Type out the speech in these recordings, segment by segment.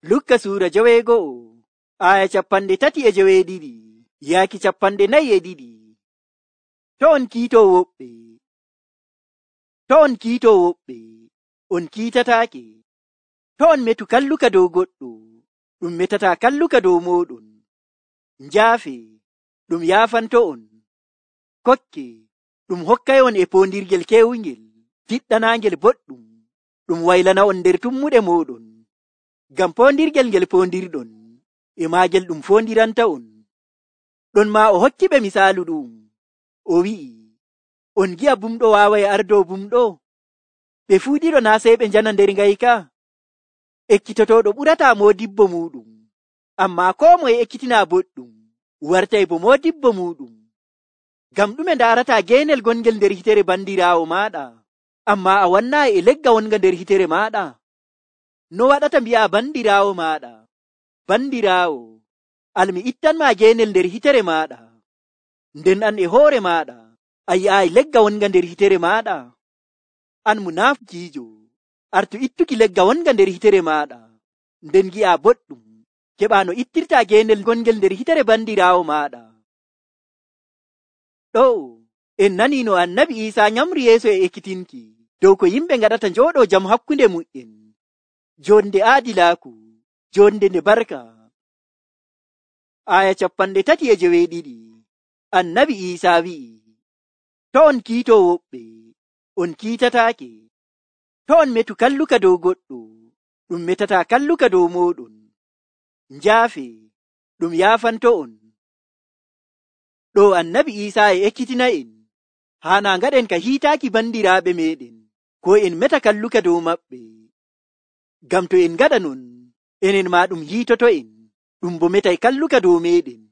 Lukka suura 12 aya 32 yaaki 42. To on kiitoo woɓɓe, on kiitataake. To on metu kalluka dow goɗɗo, ɗum metataa kalluka dow mooɗon. Njaafe, ɗum yaafanto on. Kokke, ɗum hokkayon e poondirgel keewungel, tiɗɗanaangel boɗɗum, ɗum waylana on nder tummuɗe mooɗon. Ngam poondirgel ngel poondirɗon, e maagel ɗum foondiranta on. Ɗon maa o hokkiɓe misaalu ɗum, o wi'i, on gi'a bumɗo waaway ardo bumɗo? Ɓe fuu ɗiɗo naa sey ɓe njana nder ngayka? Ekkitotooɗo ɓurataa moodibbo muuɗum, ammaa koo moye ekkitinaa boɗɗum wartay bo moodibbo muuɗum. Ngam ɗume ndaarataa geenel gongel nder hitere bandiraawo maaɗa, ammaa a wannaayi e legga wonga nder hitere maaɗa? No waɗata mbi'a bandiraawo maaɗa, bandiraawo, almi ittanmaa geenel nder hitere maaɗa, nden an e hoore maaɗa a yi'aayi legga wonga nder hitere maaɗa? An munaafikiijo, artu ittuki legga wonga nder hitere maaɗa, nden gi'a boɗɗum, keɓaa no ittirtaa geenel gongel nder hitere bandiraawo maaɗa. Ɗo en nanii no Annabi Iisaa nyamri yeeso e ekkitinki dow ko yimɓe ngaɗata njooɗoo jam hakkunde mu'en, jonde aadilaaku, jonde nde barka. Aya 32 Annabi Iisaa wi'i, to on kiitoo woɓɓe, on kiitataake. To on metu kalluka dow goɗɗo, ɗum metataa kalluka dow mooɗon. Njaafe, ɗum yaafanto on. Ɗo Annabi Iisaa e ekkitina'en, haana ngaɗen ka hiitaaki bandiraaɓe meeɗen, ko en meta kalluka dow maɓɓe. Ngam to en ngaɗa non, enen maa ɗum hiitoto'en, ɗum bo metay kalluka dow meeɗen.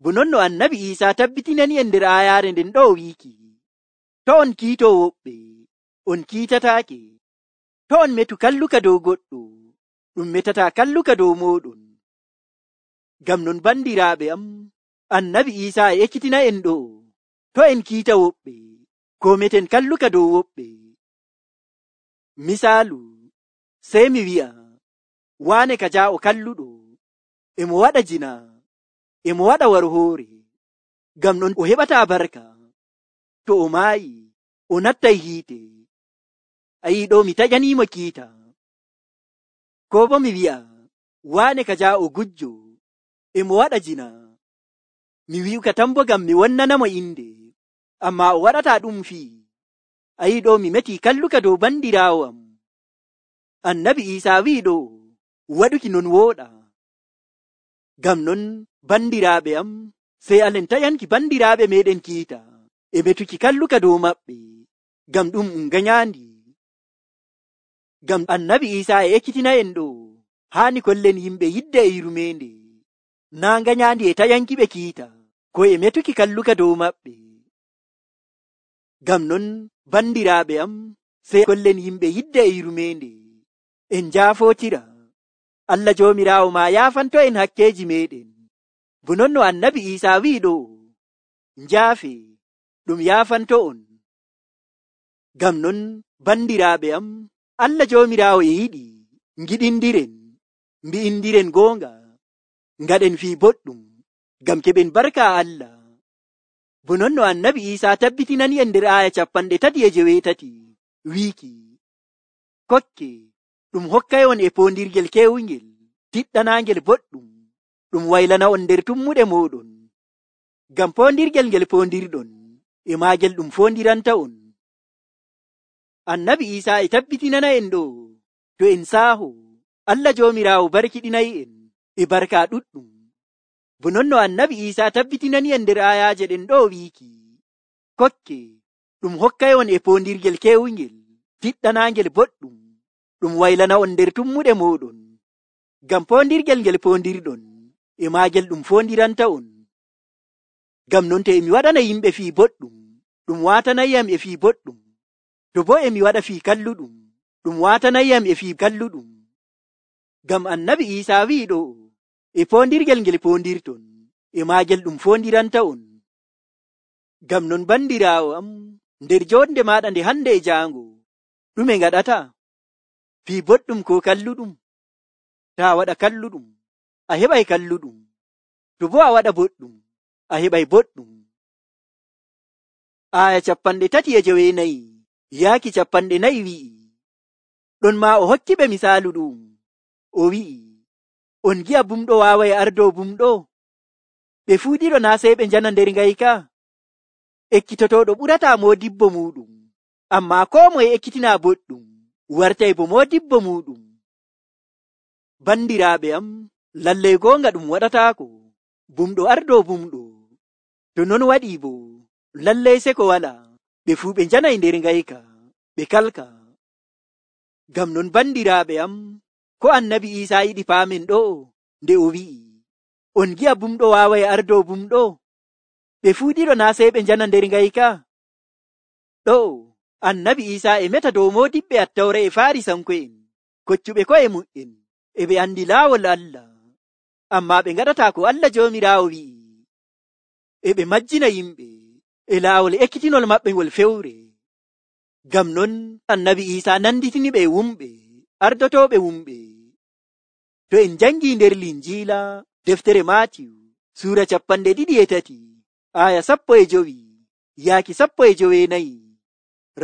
Bo non no Annabi Iisaa tabbitinani en nder aayaare nden ɗo wiiki, to on kiitoo woɓɓe, on kiitataake. To on metu kalluka dow goɗɗo, ɗum metataa kalluka dow mooɗon. Ngam non bandiraaɓe am, Annabi Iisaa e ekkitina en ɗo, to en kiita woɓɓe, ko meten kalluka dow woɓɓe. Misaalu, sey mi wi'a, waane ka jaa'o kalluɗo, emo waɗa jina, emo waɗa warhoore, ngam non o heɓataa barka. To o maayi, o nattay hiite. Ayi ɗo mi taƴaniimo kiita. Ko bo mi wi'a, waane ka jaa'o gujjo, emo waɗa jina, mi wi'uka tan bo ngam mi wonnanamo inde, ammaa o waɗataa ɗum fii. Ayi ɗo mi metii kalluka dow bandiraawo am. Annabi Iisaa wi'i ɗo, waɗuki non wooɗa. Ngam non bandiraaɓe am, sey alen taƴanki bandiraaɓe meɗen kiita, e metuki kalluka dow maɓɓe, ngam ɗum ngañaandi. Ngam Annabi Iisaa e ekkitina en ɗo, haani kollen yimɓe yidde e yurmeende, naa ngañaandi e taƴanki ɓe kiita, ko e metuki kalluka dow maɓɓe. Ngam non bandiraaɓe am, sey kollen yimɓe yidde e yurmeende, en njaafootira. Allah Joomiraawo maa yaafanto en hakkeeji meeɗen. Bo non no Annabi Iisaa wi'i ɗo, njaafe, ɗum yaafanto on. Ngam non bandiraaɓe am, Allah Joomiraawo e yiɗi ngiɗindiren, mbi'indiren goonga, ngaɗen fii boɗɗum, ngam keɓen barka Allah. Bo non no Annabi Iisaa tabbitinani en nder aya 38 wiiki, kokke, ɗum hokkayon e poondirgel keewungel, tiɗɗanaangel boɗɗum, ɗum waylana on nder tummuɗe mooɗon. Ngam poondirgel ngel poondirɗon, e maagel ɗum foondiranta on. Annabi Iisaa e tabbitinana en ɗo, to en saaho, Allah Joomiraawo barkiɗinay en e barka ɗuɗɗum. Bo non no Annabi Iisaa tabbitinani en nder ayaaje ɗen ɗo wiiki, kokke, ɗum hokkayon e poondirgel keewungel, tiɗɗanaangel boɗɗum, ɗum waylana on nder tummuɗe mooɗon. Ngam poondirgel ngel poondirɗon, e maagel ɗum foondiranta on. Ngam non to emi waɗana yimɓe fii boɗɗum, ɗum waatanayyam e fii boɗɗum. To bo emi waɗa fii kalluɗum, ɗum waatanayyam e fii kalluɗum. Ngam Annabi Iisaa wi'i ɗo, e poondirgel ngel poondirton, e maagel ɗum foondiranta on. Ngam non bandiraawo am, nder jonde maaɗa nde hande e jaango, ɗume ngaɗata? Fii boɗɗum ko kalluɗum? To a waɗa kalluɗum, a heɓay kalluɗum. To bo a waɗa boɗɗum, a heɓay boɗɗum. Aya 34 yaaki 40 wi'i, ɗon maa o hokki ɓe misaalu ɗum. O wi'i, on gi'a bumɗo waaway ardo bumɗo? Ɓe fuu ɗiɗo naa sey ɓe njana nder ngayka? Ekkitotoɗo ɓurataa moodibbo muuɗum, ammaa koo moye ekkitinaa boɗɗum wartay bo moodibbo muuɗum. Bandiraaɓe am, lallay goonga ɗum waɗataako bumɗo ardo bumɗo. To non waɗii bo, lallay seko wala, ɓe fuu ɓe njanay nder ngayka, ɓe kalka. Ngam non bandiraaɓe am, ko Annabi Iisaa yiɗi paamen ɗo nde o wi'i, on gi'a bumɗo waaway ardo bumɗo? Ɓe fuu ɗiɗo naa sey ɓe njana nder ngayka? Ɗo Annabi Iisaa e meta dow moodiɓɓe Attawra e Faarisanko'en koccuɓe ko'e mu'en, e ɓe andi laawol Allah, ammaa ɓe ngaɗataa ko Allah Joomiraawo wi'i, e ɓe majjina yimɓe e laawol ekkitinol maɓɓe ngol fewre. Ngam non Annabi Iisaa nanditini ɓe wumɓe ardotooɓe wumɓe. To en jangii nder Linjiila deftere Maatiyu suura 23 aya 15 yaaki 14,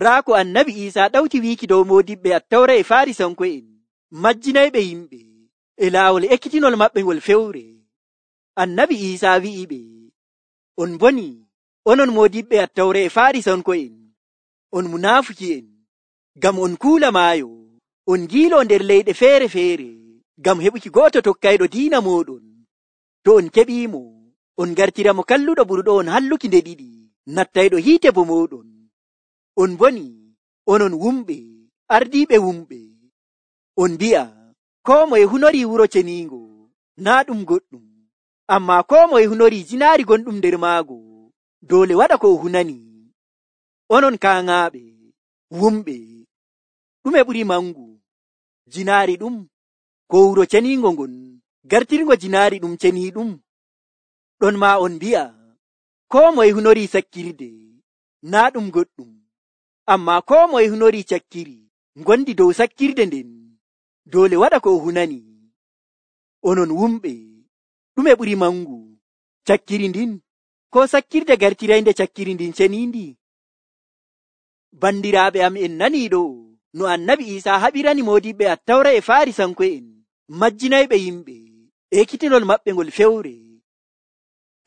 raa ko Annabi Iisaa ɗawti wiiki dow moodiɓɓe Attawra e Faarisanko'en majjinayɓe yimɓe e laawol ekkitinol maɓɓe ngol fewre. Annabi Iisaa wi'i ɓe, on boni, onon moodiɓɓe Attawra e Faarisanko'en, on munaafuki'en, ngam on kuula maayo, on ngiilo nder leyɗe feere-feere ngam heɓuki gooto tokkayɗo diina mooɗon. To on keɓiimo, on gartira mo kalluɗo ɓurɗo on halluki nde ɗiɗi, nattayɗo hiite bo mooɗon. On boni, onon wumɓe ardiiɓe wumɓe, on mbi'a koo moye hunorii wuro ceniingo naa ɗum goɗɗum, ammaa koo moye hunorii jinaari gonɗum nder maago doole waɗa ko o hunani. Onon kaaŋaaɓe wumɓe, ɗume ɓuri mangu, jinaari ɗum ko wuro ceniingo ngon gartirgo jinaari ɗum ceniiɗum? Ɗon maa on mbi'a koo moye hunorii sakkirde naa ɗum goɗɗum, ammaa koo moye hunorii cakkiri ngondi dow sakkirde nden doole waɗa ko o hunani. Onon wumɓe, ɗume ɓuri mangu, cakkiri ndin ko sakkirde gartiraynde cakkiri ndin ceniindi? Bandiraaɓe am, en nanii ɗo no Annabi Iisaa haɓirani moodiɓɓe Attawra e Faarisanko'en majjinayɓe yimɓe ekkitinol maɓɓe ngol fewre.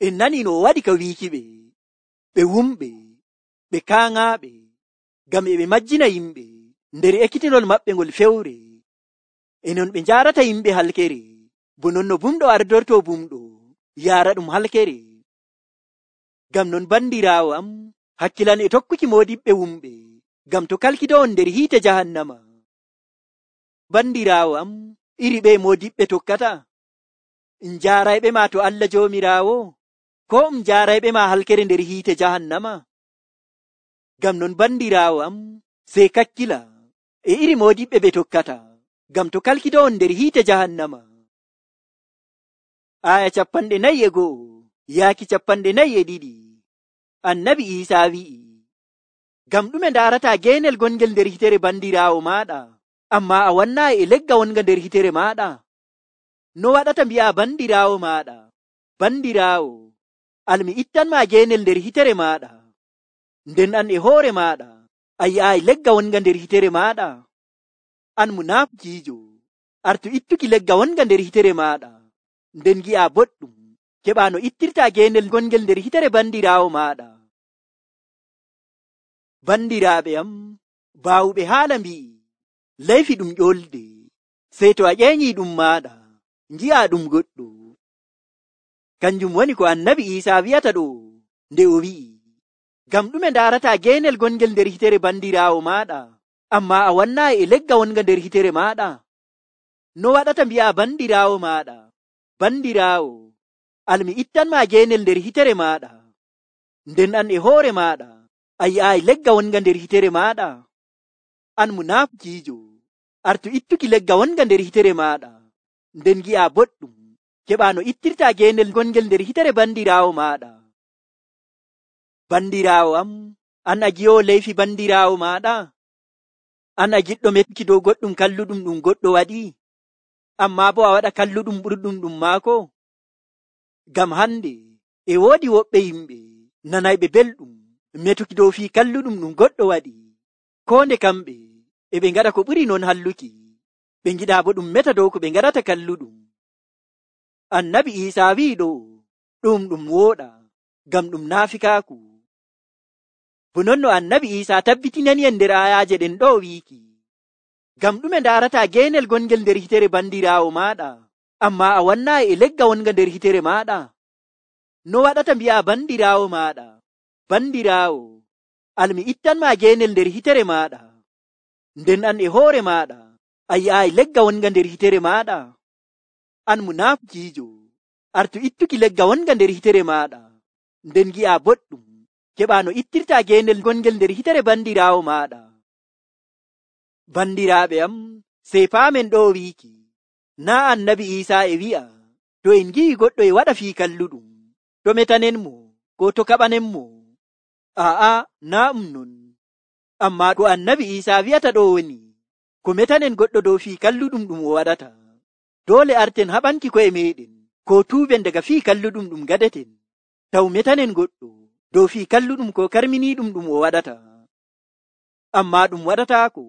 En nanii no o waɗi ka wiiki ɓe wumɓe, ɓe kaaŋaaɓe, ngam e ɓe majjina yimɓe nder ekkitinol maɓɓe ngol fewre. E non ɓe njaarata yimɓe halkere, bo non no bumɗo ardorto bumɗo yaara ɗum halkere. Ngam non bandiraawo am, hakkilan e tokkuki moodiɓɓe wumɓe, ngam to kalkidowon nder hiite jahannama. Bandiraawo am, iri ɓe moodiɓɓe tokkata, njaarayɓe ma to Allah Joomiraawo, ko njaarayɓe ma halkere nder hiite jahannama? Ngam non bandiraawo am, sey kakkila e iri moodiɓɓe ɓe tokkata, ngam to kalkidowon nder hiite jahannama. Aya 41 yaaki 42 Annabi Iisaa wi'i, ngam ɗume ndaarataa geenel gongel nder hitere bandiraawo maaɗa, ammaa a wannaayi e legga wonga nder hitere maaɗa? No waɗata mbi'a bandiraawo maaɗa, bandiraawo, almi ittanmaa geenel nder hitere maaɗa, nden an e hoore maaɗa a yi'aayi legga wonga nder hitere maaɗa? An munaafikiijo, artu ittuki legga wonga nder hitere maaɗa, nden gi'a boɗɗum keɓaa no ittirtaa geenel gongel nder hitere bandiraawo maaɗa. Bandiraaɓe am, baawuɓe haala mbi'i, layfi ɗum ƴolde, sey to a ƴeeñii ɗum maaɗa ngi'a ɗum goɗɗo. Kanjum woni ko Annabi Iisaa wi'ata ɗo nde o wi'i, ngam ɗume ndaarataa geenel gongel nder hitere bandiraawo maaɗa, ammaa a wannaayi e legga wonga nder hitere maaɗa? No waɗata mbi'a bandiraawo maaɗa, bandiraawo, almi ittanmaa geenel nder hitere maaɗa, nden an e hoore maaɗa a yi'aayi legga wonga nder hitere maaɗa? An munaafikiijo, artu ittuki legga wonga nder hitere maaɗa, nden gi'a boɗɗum keɓaa no ittirtaa geenel gongel nder hitere bandiraawo maaɗa. Bandiraawo am, an a gi'oowo layfi bandiraawo maaɗa? An a giɗɗo metuki dow goɗɗum kalluɗum ɗum goɗɗo waɗi? ammaa bo a waɗa kalluɗum ɓurɗum ɗum maako? Ngam hande e woodi woɓɓe yimɓe nanayɓe belɗum metuki dow fii kalluɗum ɗum goɗɗo waɗi, ko nde kamɓe e ɓe ngaɗa ko ɓuri non halluki, ɓe ngiɗaa bo ɗum meta dow ko ɓe ngaɗata kalluɗum. Annabi Iisaa wi'i ɗo ɗum wooɗa, ngam ɗum naafikaaku. Bo non no Annabi Iisaa tabbitinani en nder ayaaje ɗen ɗo wiiki, ngam ɗume ndaarataa geenel gongel nder hitere bandiraawo maaɗa, ammaa a wannaayi e legga wonga nder hitere maaɗa? No waɗata mbi'a bandiraawo maaɗa, bandiraawo, almi ittanmaa geenel nder hitere maaɗa, nden an e hoore maaɗa a yi'aayi legga wonga nder hitere maaɗa? An munaafikiijo, artu ittuki legga wonga nder hitere maaɗa, nden gi'a boɗɗum keɓaa no ittirtaa geenel gongel nder hitere bandiraawo maaɗa. Bandiraaɓe am, sey paamen ɗo wiiki, naa Annabi Iisaa e wi'a to en ngi'i goɗɗo e waɗa fii kalluɗum, to metanen mo ko to kaɓanen mo? Aa'a, naa non. Ammaa ko Annabi Iisaa wi'ata ɗo woni, ko metanen goɗɗo dow fii kalluɗum ɗum o waɗata, doole arten haɓanki ko'e meɗen ko tuuben daga fii kalluɗum ɗum gaɗeten, taw metanen goɗɗo dow fii kalluɗum ko karminiiɗum ɗum o waɗata. Ammaa ɗum waɗataako.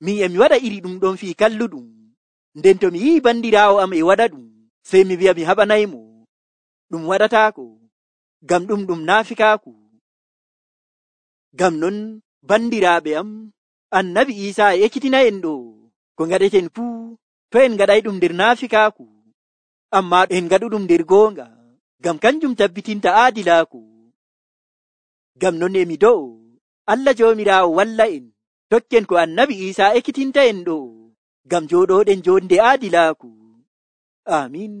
Min e mi waɗa iri ɗum ɗon fii kalluɗum, nden to mi yi'i bandiraawo am e waɗa ɗum, sey mi wi'a mi haɓanaymo. Ɗum waɗataako, ngam ɗum naafikaaku. Ngam non bandiraaɓe am, Annabi Iisaa e ekkitina en ɗo ko ngaɗeten fuu, to en ngaɗay ɗum nder naafikaaku, ammaa en ngaɗuɗum nder goonga, ngam kanjum tabbitinta aadilaaku. Ngam non e mi do'o Allah Joomiraawo walla en tokken ko Annabi Iisaa ekkitinta en ɗo, ngam jooɗoɗen jonde aadilaaku. Amiin.